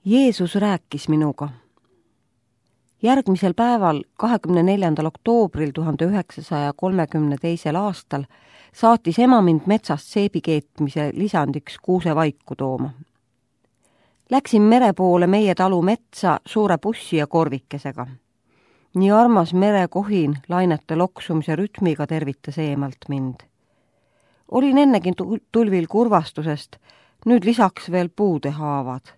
Jeesus rääkis minuga. Järgmisel päeval, 24. oktoobril 1932. aastal, saatis ema mind metsast seebi keetmise lisandiks kuusevaiku tooma. Läksin mere poole meie talu metsa suure bussi ja korvikesega. Nii armas merekohin lainete loksumise rütmiga tervitas eemalt mind. Olin ennegi tulvil kurvastusest, nüüd lisaks veel puude haavad.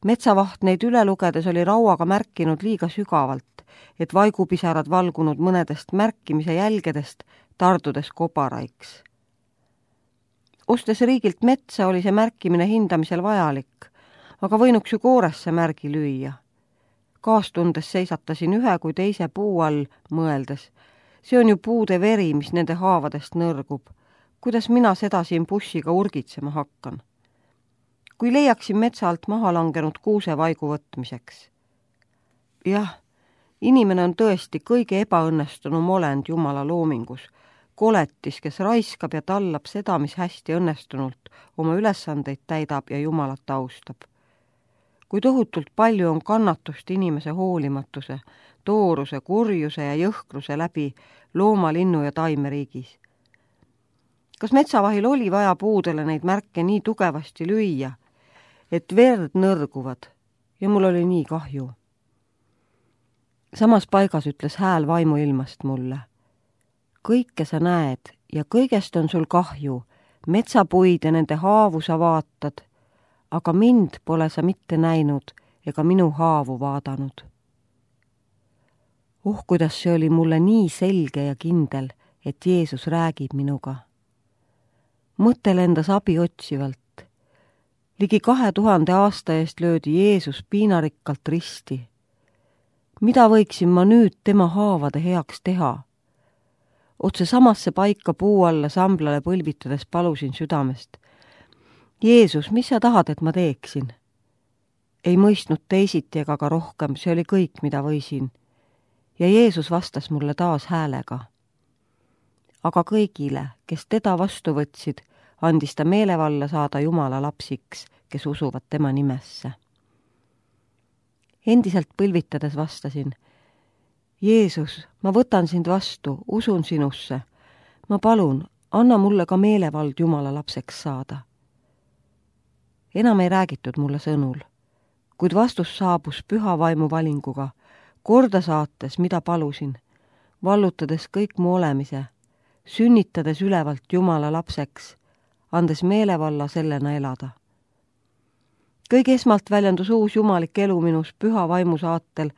Metsavaht neid üle lugedes oli rauaga märkinud liiga sügavalt, et vaigupisarad valgunud mõnedest märkimise jälgedest tardudes kobaraiks. Ostes riigilt metsa oli see märkimine hindamisel vajalik, aga võinuks ju kooresse märgi lüüa. Kaastundes seisatasin ühe kui teise puu all mõeldes. See on ju puude veri, mis nende haavadest nõrgub. Kuidas mina seda siin bussiga urgitsema hakkan? Kui leiaksin metsa alt maha langenud kuusevaigu võtmiseks. Jah, inimene on tõesti kõige ebaõnnestunum olend Jumala loomingus. Koletis, kes raiskab ja tallab seda, mis hästi õnnestunult oma ülesandeid täidab ja Jumalat austab. Kui tohutult palju on kannatust inimese hoolimatuse, tooruse, kurjuse ja jõhkruse läbi looma, linnu ja taimeriigis. Kas metsavahil oli vaja puudele neid märke nii tugevasti lüüa, et verd nõrguvad ja mul oli nii kahju. Samas paigas ütles hääl vaimuilmast mulle. Kõike sa näed ja kõigest on sul kahju, metsapuid ja nende haavu sa vaatad, aga mind pole sa mitte näinud ega minu haavu vaadanud. Kuidas see oli mulle nii selge ja kindel, et Jeesus räägib minuga. Mõte lendas abi otsivalt. Ligi 2000 aasta eest löödi Jeesus piinarikkalt risti. Mida võiksin ma nüüd tema haavade heaks teha? Otse samasse paika puu alla samblale põlvitades palusin südamest. Jeesus, mis sa tahad, et ma teeksin? Ei mõistnud teisiti ega ka rohkem, see oli kõik, mida võisin. Ja Jeesus vastas mulle taas häälega. Aga kõigile, kes teda vastu võtsid, andis ta meelevalla saada Jumala lapsiks, kes usuvad tema nimesse. Endiselt põlvitades vastasin. Jeesus, ma võtan sind vastu, usun sinusse. Ma palun, anna mulle ka meelevald Jumala lapseks saada. Enam ei räägitud mulle sõnul, kuid vastus saabus püha vaimu valinguga, korda saates, mida palusin, vallutades kõik mu olemise, sünnitades ülevalt Jumala lapseks, andes meelevalla sellena elada. Kõige esmalt väljendus uus jumalik elu minus püha vaimu saatel,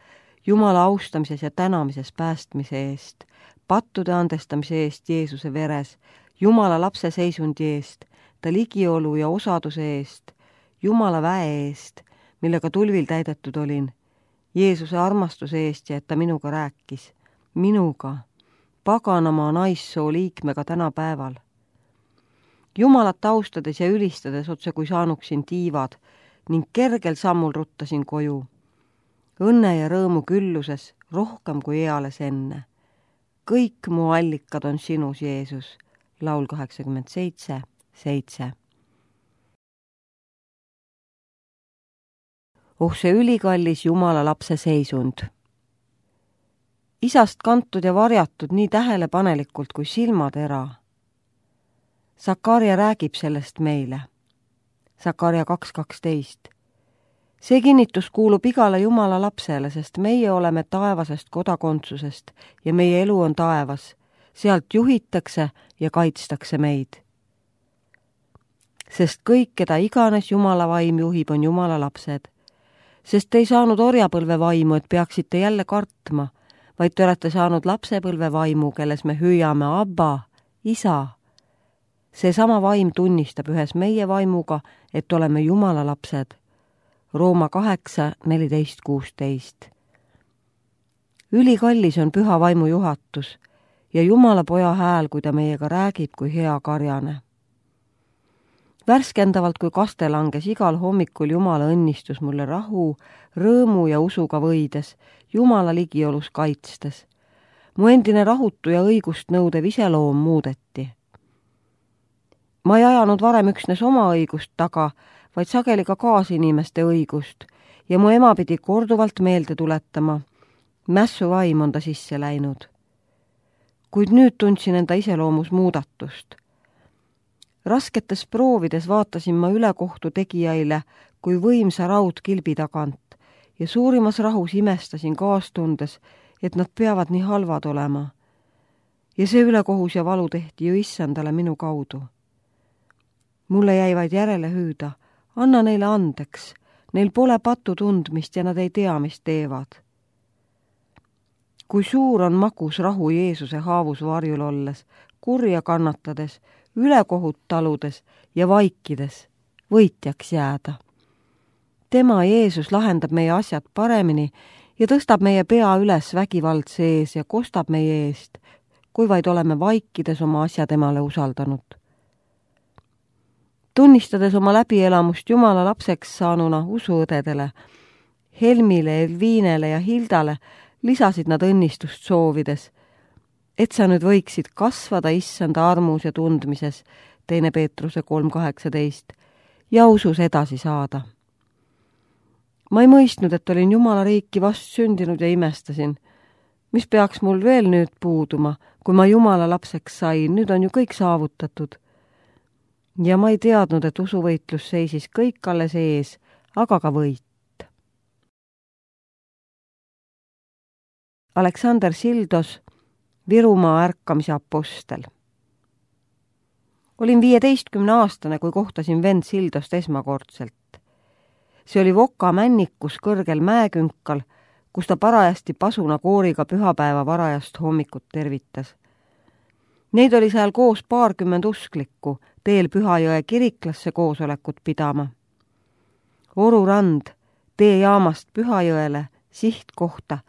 Jumala austamises ja tänamises päästmise eest, pattude andestamise eest Jeesuse veres, Jumala lapse seisundi eest, ta ligiolu ja osaduse eest, Jumala väe eest, millega tulvil täidetud olin, Jeesuse armastuse eest ja et ta minuga rääkis. Minuga, paganama naissoo liikmega tänapäeval. Jumalat austades ja ülistades otse kui saanuksin tiivad ning kergel sammul ruttasin koju. Õnne ja rõõmu külluses rohkem kui eales enne. Kõik mu allikad on sinus, Jeesus. Laul 87:7. See ülikallis Jumala lapse seisund. Isast kantud ja varjatud nii tähelepanelikult kui silmatera. Sakarja räägib sellest meile. Sakarja 2:12. See kinnitus kuulub igale Jumala lapsele, sest meie oleme taevasest kodakondsusest ja meie elu on taevas. Sealt juhitakse ja kaitstakse meid. Sest kõik, keda iganes Jumala vaim juhib, on Jumala lapsed. Sest te ei saanud orjapõlve vaimu, et peaksite jälle kartma, vaid te olete saanud lapsepõlve vaimu, kelles me hüüame Abba, isa. See sama vaim tunnistab ühes meie vaimuga, et oleme Jumala lapsed. Rooma 8:14-16. Ülikallis on püha vaimu juhatus ja Jumala poja hääl, kui ta meiega räägib kui hea karjane. Värskendavalt kui kaste langes igal hommikul Jumala õnnistus mulle rahu, rõõmu ja usuga võides, Jumala ligiolus kaitstes. Mu endine rahutu ja õigust nõudev iseloom muudeti. Ma ei ajanud varem üksnes oma õigust taga, vaid sageli ka kaasinimeste õigust ja mu ema pidi korduvalt meelde tuletama. Mässuvaim on ta sisse läinud. Kuid nüüd tundsin enda iseloomus muudatust. Rasketes proovides vaatasin ma ülekohtu tegijaile kui võimsa raudkilbi tagant ja suurimas rahus imestasin kaastundes, et nad peavad nii halvad olema. Ja see ülekohus ja valu tehti ju issandale minu kaudu. Mulle jäi vaid järele hüüda, anna neile andeks, neil pole patu tundmist ja nad ei tea, mis teevad. Kui suur on magus rahu Jeesuse haavus varjul olles, kurja kannatades, ülekohut taludes ja vaikides, võitjaks jääda. Tema Jeesus lahendab meie asjad paremini ja tõstab meie pea üles vägivaldse ees ja kostab meie eest, kui vaid oleme vaikides oma asja temale usaldanud. Tunnistades oma läbielamust Jumala lapseks saanuna usuõdedele, Helmile, Elviinele ja Hildale lisasid nad õnnistust soovides, et sa nüüd võiksid kasvada issanda armus ja tundmises, 2. Peetruse 3.18, ja usus edasi saada. Ma ei mõistnud, et olin Jumala riiki vast sündinud ja imestasin. Mis peaks mul veel nüüd puuduma, kui ma Jumala lapseks sain, nüüd on ju kõik saavutatud. Ja ma ei teadnud, et usuvõitlus seisis kõik alles ees, aga ka võit. Aleksander Sildos, Virumaa ärkamise apostel. Olin 15-aastane, kui kohtasin vend Sildost esmakordselt. See oli Voka männikus kõrgel mäekünkal, kus ta parajasti pasuna kooriga pühapäeva varajast hommikut tervitas. Neid oli seal koos 20 usklikku, teel Pühajõe kiriklasse koosolekut pidama. Oru rand, tee jaamast Pühajõele, sihtkohta,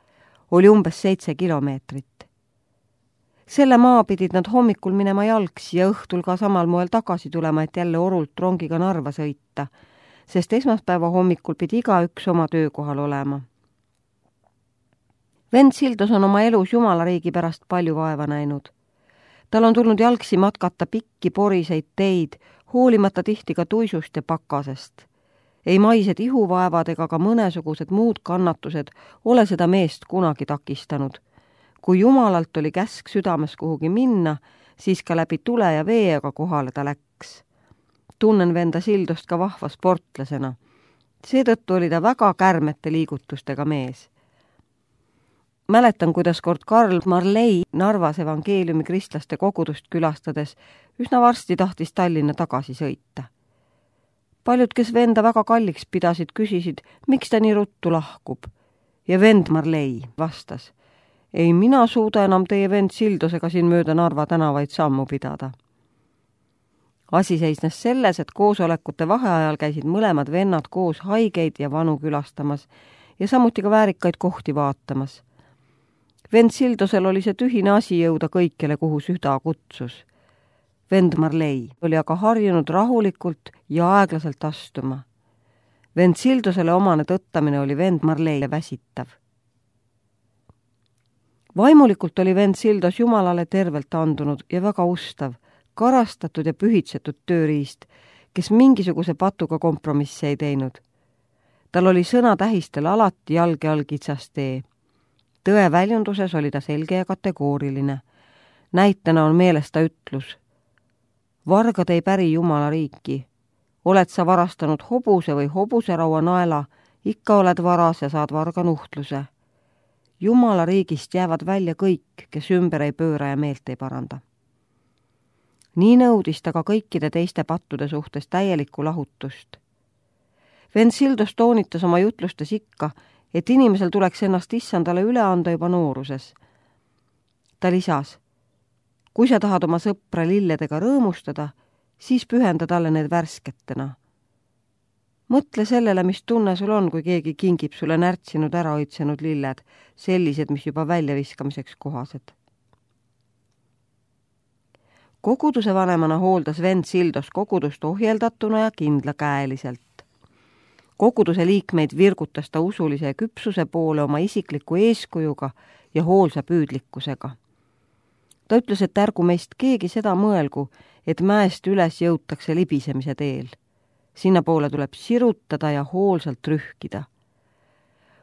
oli umbes 7 kilomeetrit. Selle maa pidid nad hommikul minema jalgsi ja õhtul ka samal moel tagasi tulema, et jälle Orult rongiga Narva sõita, sest esmaspäeva hommikul pidi igaüks oma töökohal olema. Vend Sildos on oma elus Jumala riigi pärast palju vaeva näinud. Tal on tulnud jalgsi matkata pikki poriseid teid, hoolimata tihti ka tuisust ja pakasest. Ei maised ihuvaevad ega ka mõnesugused muud kannatused ole seda meest kunagi takistanud. Kui Jumalalt oli käsk südames kuhugi minna, siis ka läbi tule ja veega kohale ta läks. Tunnen venda Sildost ka vahva sportlasena. Seetõttu oli ta väga kärmete liigutustega mees. Mäletan, kuidas kord Karl Marley Narvas evangeeliumi kristlaste kogudust külastades üsna varsti tahtis Tallinna tagasi sõita. Paljud, kes venda väga kalliks pidasid, küsisid, miks ta nii ruttu lahkub. Ja vend Marley vastas, ei mina suuda enam teie vend Sildosega siin mööda Narva tänavaid sammu pidada. Asi seisnes selles, et koosolekute vaheajal käisid mõlemad vennad koos haigeid ja vanu külastamas ja samuti ka väärikaid kohti vaatamas. Vend Sildosel oli see tühine asi jõuda kõikjale, kuhu süda kutsus. Vend Marley oli aga harjunud rahulikult ja aeglaselt astuma. Vend Sildosele omane tõttamine oli vend Marleyle väsitav. Vaimulikult oli vend Sildos Jumalale tervelt andunud ja väga ustav, karastatud ja pühitsetud tööriist, kes mingisuguse patuga kompromisse ei teinud. Tal oli sõna tähistel alati jalge all kitsas tee. Tõe väljunduses oli ta selge ja kategooriline. Näitena on meeles ta ütlus. Vargad ei päri Jumala riiki. Oled sa varastanud hobuse või hobuseraua naela, ikka oled varas ja saad varga nuhtluse. Jumala riigist jäävad välja kõik, kes ümber ei pööra ja meelt ei paranda. Nii nõudis ta ka kõikide teiste pattude suhtes täielikku lahutust. Vend Sildos toonitas oma jutlustes ikka, et inimesel tuleks ennast issandale üle anda juba nooruses. Ta lisas, kui sa tahad oma sõpra lilledega rõõmustada, siis pühenda talle need värsketena. Mõtle sellele, mis tunne sul on, kui keegi kingib sulle närtsinud ära õitsenud lilled, sellised, mis juba väljaviskamiseks kohased. Koguduse vanemana hooldas vend Sildos kogudust ohjeldatuna ja kindlakäeliselt. Koguduse liikmeid virgutas ta usulise küpsuse poole oma isikliku eeskujuga ja hoolsa püüdlikkusega. Ta ütles, et ärgu meist keegi seda mõelgu, et mäest üles jõutakse libisemise teel. Sinna poole tuleb sirutada ja hoolsalt rühkida.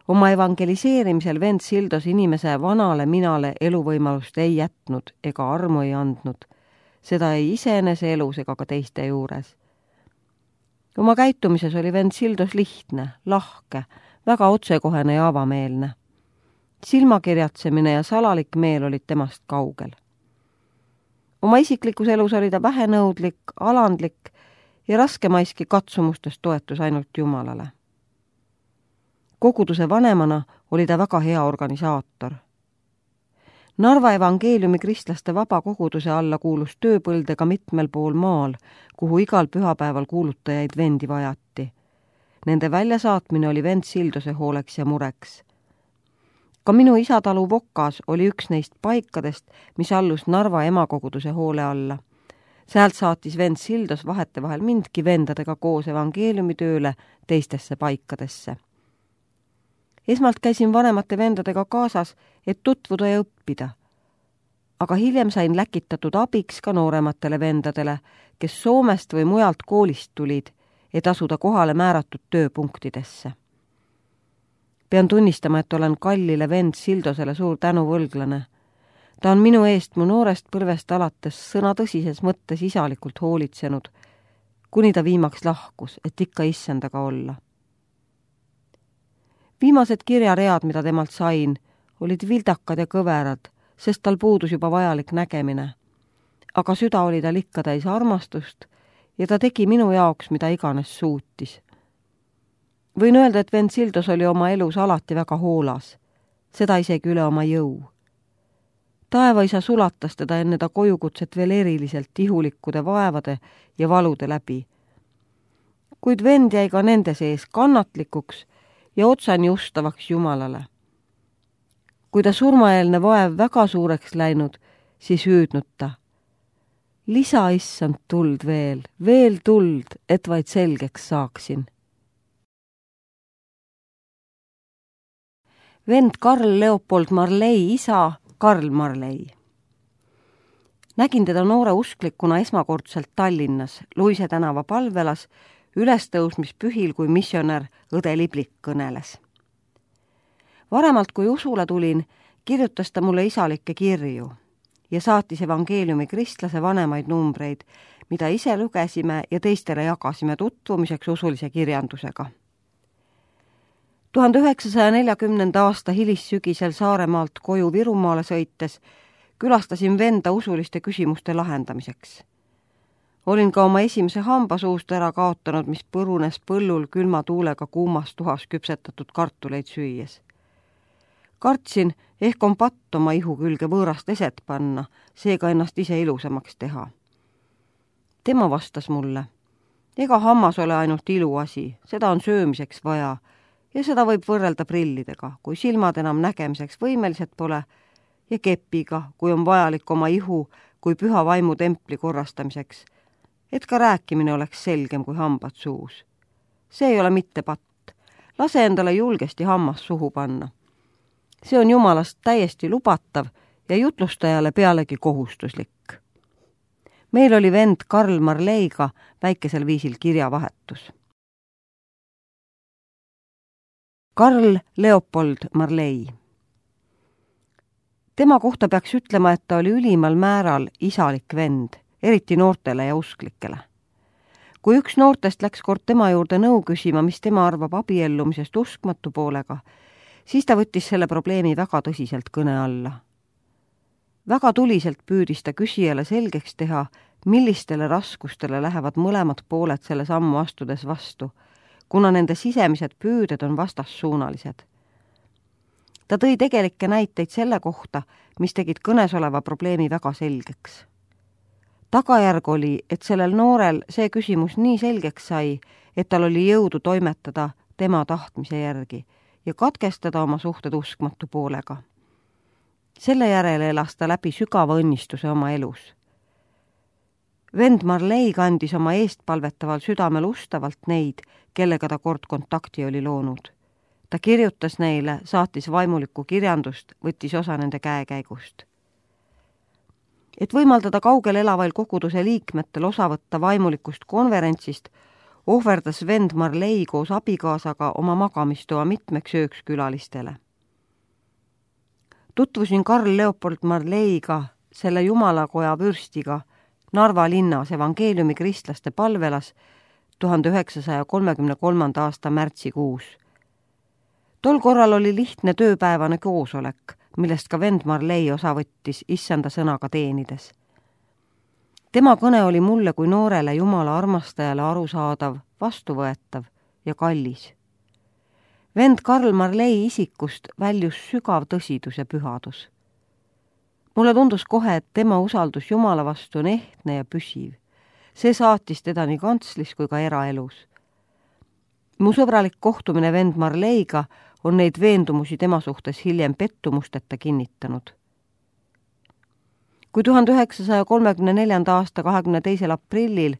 Oma evangeliseerimisel vend Sildos inimese vanale minale eluvõimalust ei jätnud ega armu ei andnud. Seda ei iseenese elus ega ka teiste juures. Oma käitumises oli vend Sildos lihtne, lahke, väga otsekohene ja avameelne. Silmakirjatsemine ja salalik meel olid temast kaugel. Oma isiklikus elus oli ta vähenõudlik, alandlik ja raskemaiski katsumustest toetus ainult Jumalale. Koguduse vanemana oli ta väga hea organisaator. Narva evangeeliumi kristlaste vaba koguduse alla kuulus tööpõldega mitmel pool maal, kuhu igal pühapäeval kuulutajaid vendi vajati. Nende väljasaatmine oli vend Sildose hooleks ja mureks. Ka minu isatalu Vokas oli üks neist paikadest, mis allus Narva emakoguduse hoole alla. Sealt saatis vend Sildos vahetevahel mindki vendadega koos evangeeliumitööle teistesse paikadesse. Esmalt käisin vanemate vendadega kaasas, et tutvuda ja õppida. Aga hiljem sain läkitatud abiks ka noorematele vendadele, kes Soomest või mujalt koolist tulid, et asuda kohale määratud tööpunktidesse. Pean tunnistama, et olen kallile vend Sildosele suur tänuvõlglane. Ta on minu eest mu noorest põlvest alates sõna tõsises mõttes isalikult hoolitsenud, kuni ta viimaks lahkus, et ikka issandaga olla. Viimased kirjaread, mida temalt sain, olid vildakad ja kõverad, sest tal puudus juba vajalik nägemine. Aga süda oli tal ikka täis armastust ja ta tegi minu jaoks, mida iganes suutis. Võin öelda, et vend Sildos oli oma elus alati väga hoolas, seda isegi üle oma jõu. Taevaisa sulatas teda enne ta kojukutset veel eriliselt ihulikkude vaevade ja valude läbi. Kuid vend jäi ka nende sees kannatlikuks ja otsani ustavaks Jumalale. Kui ta surmaeelne vaev väga suureks läinud, siis hüüdnud ta: lisa issand tuld veel tuld, et vaid selgeks saaksin. Vend Karl Leopold Marley isa Karl Marley. Nägin teda noore usklikuna esmakordselt Tallinnas, Luise tänava palvelas, ülestõusmispühil, kui missionär õde Liblik kõneles. Varemalt, kui usule tulin, kirjutas ta mulle isalikke kirju ja saatis evangeeliumi kristlase vanemaid numbreid, mida ise lugesime ja teistele jagasime tutvumiseks usulise kirjandusega. 1940. aasta hilissügisel Saaremaalt koju Virumaale sõites külastasin venda usuliste küsimuste lahendamiseks. Olin ka oma esimese hamba suust ära kaotanud, mis põrunes põllul külma tuulega kuumas tuhas küpsetatud kartuleid süües. Kartsin, ehk on patt oma ihu külge võõrast eset panna, seega ennast ise ilusamaks teha. Tema vastas mulle: ega hammas ole ainult iluasi, seda on söömiseks vaja ja seda võib võrrelda prillidega, kui silmad enam nägemiseks võimelised pole, ja kepiga, kui on vajalik oma ihu kui püha vaimu templi korrastamiseks, et ka rääkimine oleks selgem kui hambad suus. See ei ole mitte patt. Lase endale julgesti hammas suhu panna. See on Jumalast täiesti lubatav ja jutlustajale pealegi kohustuslik. Meil oli vend Karl Marleiga väikesel viisil kirjavahetus. Karl Leopold Marley. Tema kohta peaks ütlema, et ta oli ülimal määral isalik vend, eriti noortele ja usklikele. Kui üks noortest läks kord tema juurde nõu küsima, mis tema arvab abiellumisest uskmatu poolega, siis ta võttis selle probleemi väga tõsiselt kõne alla. Väga tuliselt püüdis ta küsijale selgeks teha, millistele raskustele lähevad mõlemad pooled selle sammu astudes vastu, kuna nende sisemised püüded on vastassuunalised. Ta tõi tegelikke näiteid selle kohta, mis tegid kõnesoleva probleemi väga selgeks. Tagajärg oli, et sellel noorel see küsimus nii selgeks sai, et tal oli jõudu toimetada tema tahtmise järgi ja katkestada oma suhted uskmatu poolega. Selle järele elas ta läbi sügava õnnistuse oma elus. Vend Marley kandis oma eestpalvetaval südamel ustavalt neid, kellega ta kord kontakti oli loonud. Ta kirjutas neile, saatis vaimulikku kirjandust, võttis osa nende käekäigust. Et võimaldada kaugel elavail koguduse liikmetel osa võtta vaimulikust konverentsist, ohverdas vend Marley koos abikaasaga oma magamistoa mitmeks ööks külalistele. Tutvusin Karl Leopold Marleyga, selle jumalakoja vürstiga, Narva linnas evangeeliumi kristlaste palvelas 1933. aasta märtsikuus. Tol korral oli lihtne tööpäevane koosolek, millest ka vend Marley osa võttis issanda sõnaga teenides. Tema kõne oli mulle kui noorele jumala armastajale arusaadav, vastuvõetav ja kallis. Vend Karl Marley isikust väljus sügav tõsidus ja pühadus. Mulle tundus kohe, et tema usaldus Jumala vastu on ehtne ja püsiv. See saatis teda nii kantslis kui ka eraelus. Mu sõbralik kohtumine vend Marleyga on neid veendumusi tema suhtes hiljem pettumusteta kinnitanud. Kui 1934. aasta 22. aprillil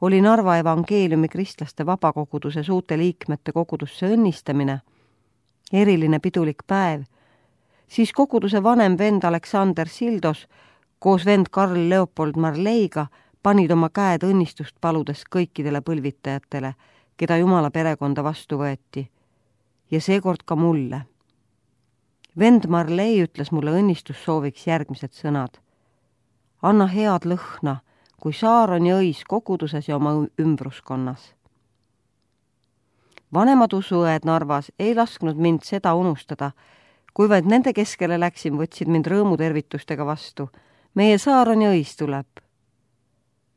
oli Narva evangeeliumi kristlaste vabakoguduse suute liikmete kogudusse õnnistamine, eriline pidulik päev, siis koguduse vanem vend Aleksander Sildos koos vend Karl Leopold Marleyga panid oma käed õnnistust paludes kõikidele põlvitajatele, keda Jumala perekonda vastu võeti, ja seekord ka mulle. Vend Marley ütles mulle õnnistussooviks järgmised sõnad. Anna head lõhna, kui saar on jõis koguduses ja oma ümbruskonnas. Vanemad usuõed Narvas ei lasknud mind seda unustada, kui vaid nende keskele läksin, võtsid mind rõõmutervitustega vastu. Meie saar on jõis tuleb.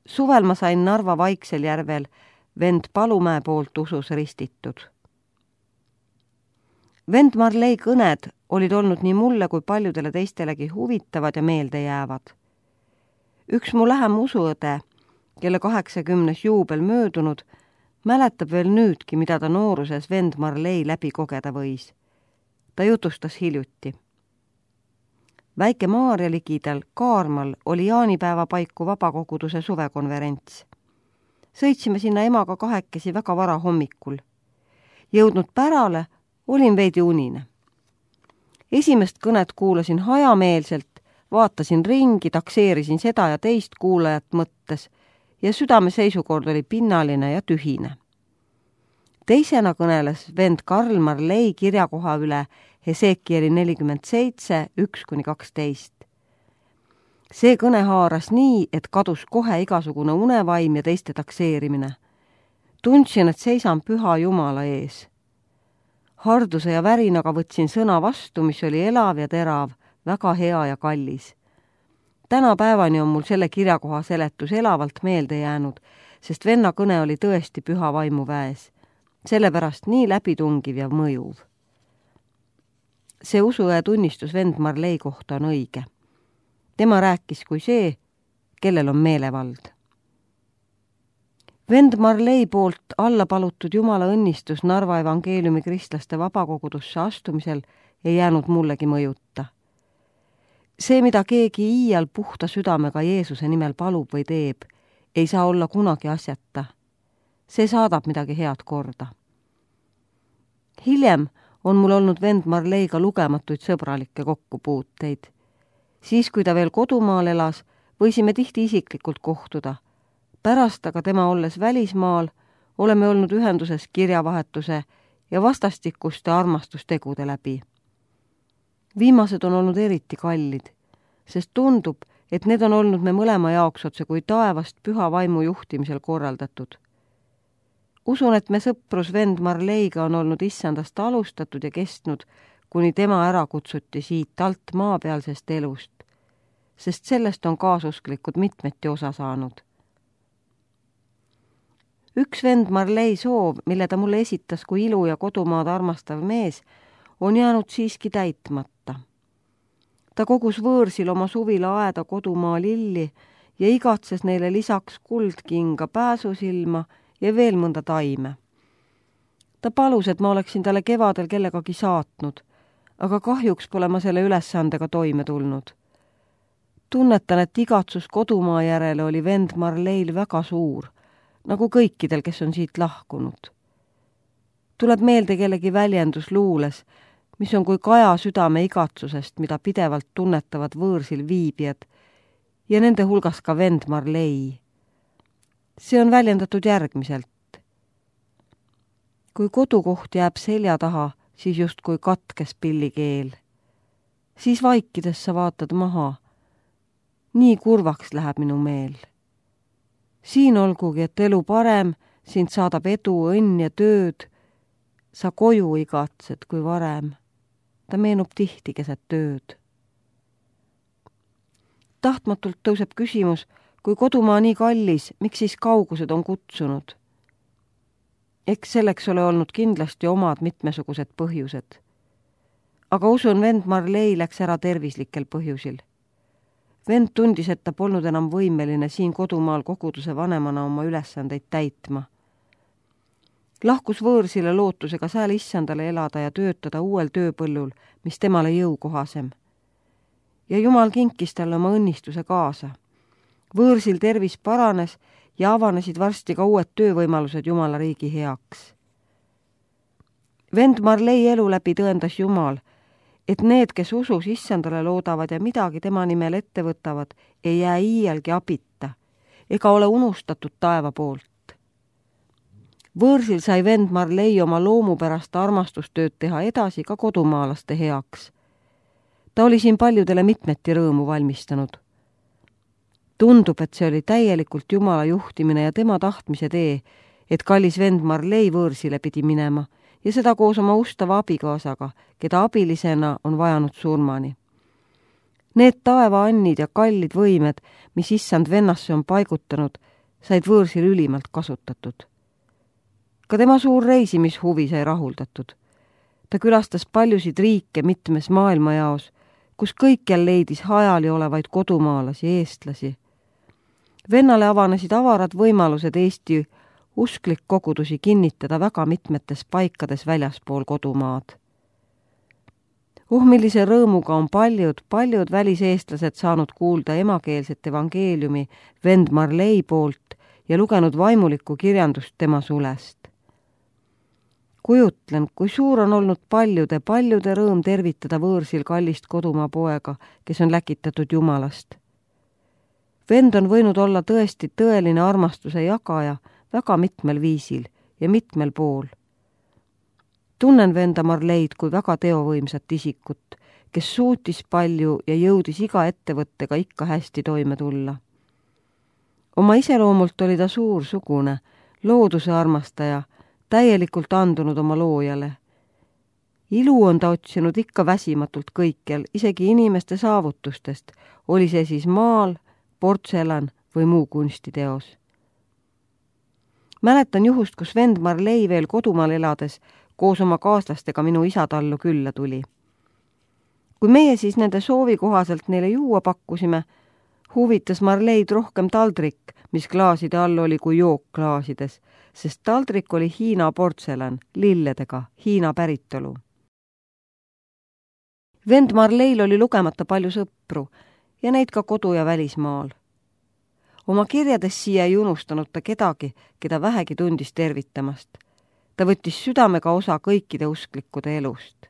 Suvel ma sain Narva Vaiksel järvel vend Palumäe poolt usus ristitud. Vend Marley kõned olid olnud nii mulle kui paljudele teistelegi huvitavad ja meelde jäävad. Üks mu lähem usuõde, kelle 80. juubel möödunud, mäletab veel nüüdki, mida ta nooruses vend Marley läbi kogeda võis. Ta jutustas hiljuti. Väike Maarja ligidal Kaarmal oli jaanipäeva paiku vabakoguduse suvekonverents. Sõitsime sinna emaga kahekesi väga vara hommikul. Jõudnud pärale olin veidi unine. Esimest kõnet kuulasin hajameelselt, vaatasin ringi, takseerisin seda ja teist kuulajat mõttes ja südame seisukord oli pinnaline ja tühine. Teisena kõneles vend Karl Marley kirjakoha üle Hesekieli 47, 1-12. See kõne haaras nii, et kadus kohe igasugune unevaim ja teiste takseerimine. Tundsin, et seisan püha Jumala ees. Harduse ja värinaga võtsin sõna vastu, mis oli elav ja terav, väga hea ja kallis. Tänapäevani on mul selle kirjakoha seletus elavalt meelde jäänud, sest venna kõne oli tõesti püha vaimu väes. Sellepärast nii läbitungiv ja mõjuv. See usuõe tunnistus vend Marley kohta on õige. Tema rääkis kui see, kellel on meelevald. Vend Marley poolt alla palutud Jumala õnnistus Narva evangeeliumi kristlaste vabakogudusse astumisel ei jäänud mullegi mõjuta. See, mida keegi iial puhta südamega Jeesuse nimel palub või teeb, ei saa olla kunagi asjata. See saadab midagi head korda. Hiljem on mul olnud vend Marleyga lugematuid sõbralikke kokkupuuteid. Siis, kui ta veel kodumaal elas, võisime tihti isiklikult kohtuda. Pärast aga tema olles välismaal, oleme olnud ühenduses kirjavahetuse ja vastastikuste armastustegude läbi. Viimased on olnud eriti kallid, sest tundub, et need on olnud me mõlema jaoks otse kui taevast püha vaimu juhtimisel korraldatud. Usun, et me sõprus vend Marleyga on olnud issandast alustatud ja kestnud, kuni tema ära kutsuti siit alt maapealsest elust, sest sellest on kaasusklikud mitmeti osa saanud. Üks vend Marley soov, mille ta mulle esitas kui ilu ja kodumaad armastav mees, on jäänud siiski täitmata. Ta kogus võõrsil oma suvila aeda kodumaa lilli ja igatses neile lisaks kuldkinga, pääsusilma ja veel mõnda taime. Ta palus, et ma oleksin talle kevadel kellegagi saatnud, aga kahjuks pole ma selle ülesandega toime tulnud. Tunnetan, et igatsus kodumaa järele oli vend Marleyl väga suur, nagu kõikidel, kes on siit lahkunud. Tuleb meelde kellegi väljendus luules, mis on kui kaja südame igatsusest, mida pidevalt tunnetavad võõrsil viibijad ja nende hulgas ka vend Marley. See on väljendatud järgmiselt. kui kodukoht jääb selja taha, siis justkui katkes pillikeel. Siis vaikides sa vaatad maha. Nii kurvaks läheb minu meel. Siin olgugi, et elu parem, sind saadab edu, õnn ja tööd. Sa koju igatsed kui varem. Ta meenub tihti keset tööd. Tahtmatult tõuseb küsimus, kui kodumaa nii kallis, miks siis kaugused on kutsunud? Eks selleks ole olnud kindlasti omad mitmesugused põhjused. Aga usun, vend Marley läks ära tervislikel põhjusil. Vend tundis, et ta polnud enam võimeline siin kodumaal koguduse vanemana oma ülesandeid täitma. Lahkus võõrsile lootusega sääl issandale elada ja töötada uuel tööpõllul, mis temale jõukohasem. Ja Jumal kinkis talle oma õnnistuse kaasa. Võõrsil tervis paranes ja avanesid varsti ka uued töövõimalused Jumala riigi heaks. Vend Marley elu läbi tõendas Jumal, et need, kes usus issandale loodavad ja midagi tema nimel ette võtavad, ei jää iialgi abita ega ole unustatud taeva poolt. Võõrsil sai vend Marley oma loomupärast armastustööd teha edasi ka kodumaalaste heaks. Ta oli siin paljudele mitmeti rõõmu valmistanud. Tundub, et see oli täielikult Jumala juhtimine ja tema tahtmise tee, et kallis vend Marley võõrsile pidi minema ja seda koos oma ustava abikaasaga, keda abilisena on vajanud surmani. Need taevaannid ja kallid võimed, mis issand vennasse on paigutanud, said võõrsil ülimalt kasutatud. Ka tema suur reisimishuvi sai rahuldatud. Ta külastas paljusid riike mitmes maailmajaos, kus kõikjal leidis hajali olevaid kodumaalasi, eestlasi. Vennale avanesid avarad võimalused Eesti usklik kogudusi kinnitada väga mitmetes paikades väljaspool kodumaad. Millise rõõmuga on paljud väliseestlased saanud kuulda emakeelset evangeeliumi vend Marley poolt ja lugenud vaimulikku kirjandust tema sulest. Kujutlen, kui suur on olnud paljude rõõm tervitada võõrsil kallist kodumaa poega, kes on läkitatud Jumalast. Vend on võinud olla tõesti tõeline armastuse jagaja väga mitmel viisil ja mitmel pool. Tunnen venda Marleid kui väga teovõimsat isikut, kes suutis palju ja jõudis iga ettevõttega ikka hästi toime tulla. Oma iseloomult oli ta suursugune, looduse armastaja, täielikult andunud oma loojale. Ilu on ta otsinud ikka väsimatult kõikjal, isegi inimeste saavutustest, oli see siis maal, portselan või muu kunstiteos. Mäletan juhust, kus vend Marley veel kodumaal elades koos oma kaaslastega minu isatallu külla tuli. Kui meie siis nende soovi kohaselt neile juua pakkusime, huvitas Marleid rohkem taldrik, mis klaaside all oli kui jook klaasides, sest taldrik oli Hiina portselan, lilledega, Hiina päritolu. Vend Marleil oli lugemata palju sõpru ja neid ka kodu- ja välismaal. Oma kirjades siia ei unustanud ta kedagi, keda vähegi tundis tervitamast. Ta võttis südamega osa kõikide usklikkude elust.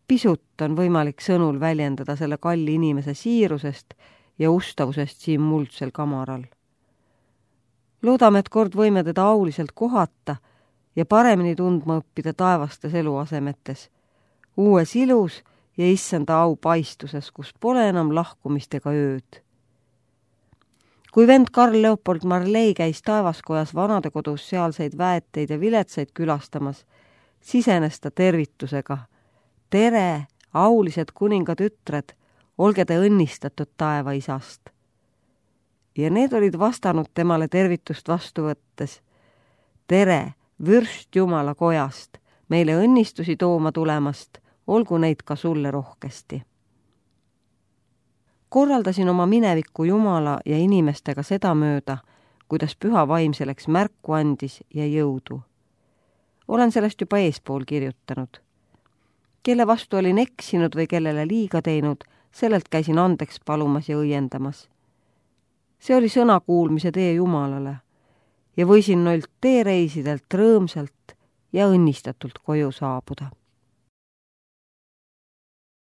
Pisut on võimalik sõnul väljendada selle kalli inimese siirusest ja ustavusest siin muldsel kamaral. Loodame, et kord võime teda auliselt kohata ja paremini tundma õppida taevastes eluasemetes, uues ilus ja issanda au paistuses, kus pole enam lahkumist ega ööd. Kui vend Karl Leopold Marley käis taevaskojas vanadekodus sealseid väeteid ja viletsaid külastamas, sisenes ta tervitusega. Tere, aulised kuningatütred, olge te õnnistatud taevaisast. Ja need olid vastanud temale tervitust vastu võttes. Tere, vürst Jumala kojast, meile õnnistusi tooma tulemast, olgu neid ka sulle rohkesti. Korraldasin oma minevikku Jumala ja inimestega sedamööda, kuidas püha vaim selleks märku andis ja jõudu. Olen sellest juba eespool kirjutanud. Kelle vastu olin eksinud või kellele liiga teinud, sellelt käisin andeks palumas ja õiendamas. See oli sõna kuulmise tee Jumalale ja võisin noilt teereisidelt rõõmsalt ja õnnistatult koju saabuda.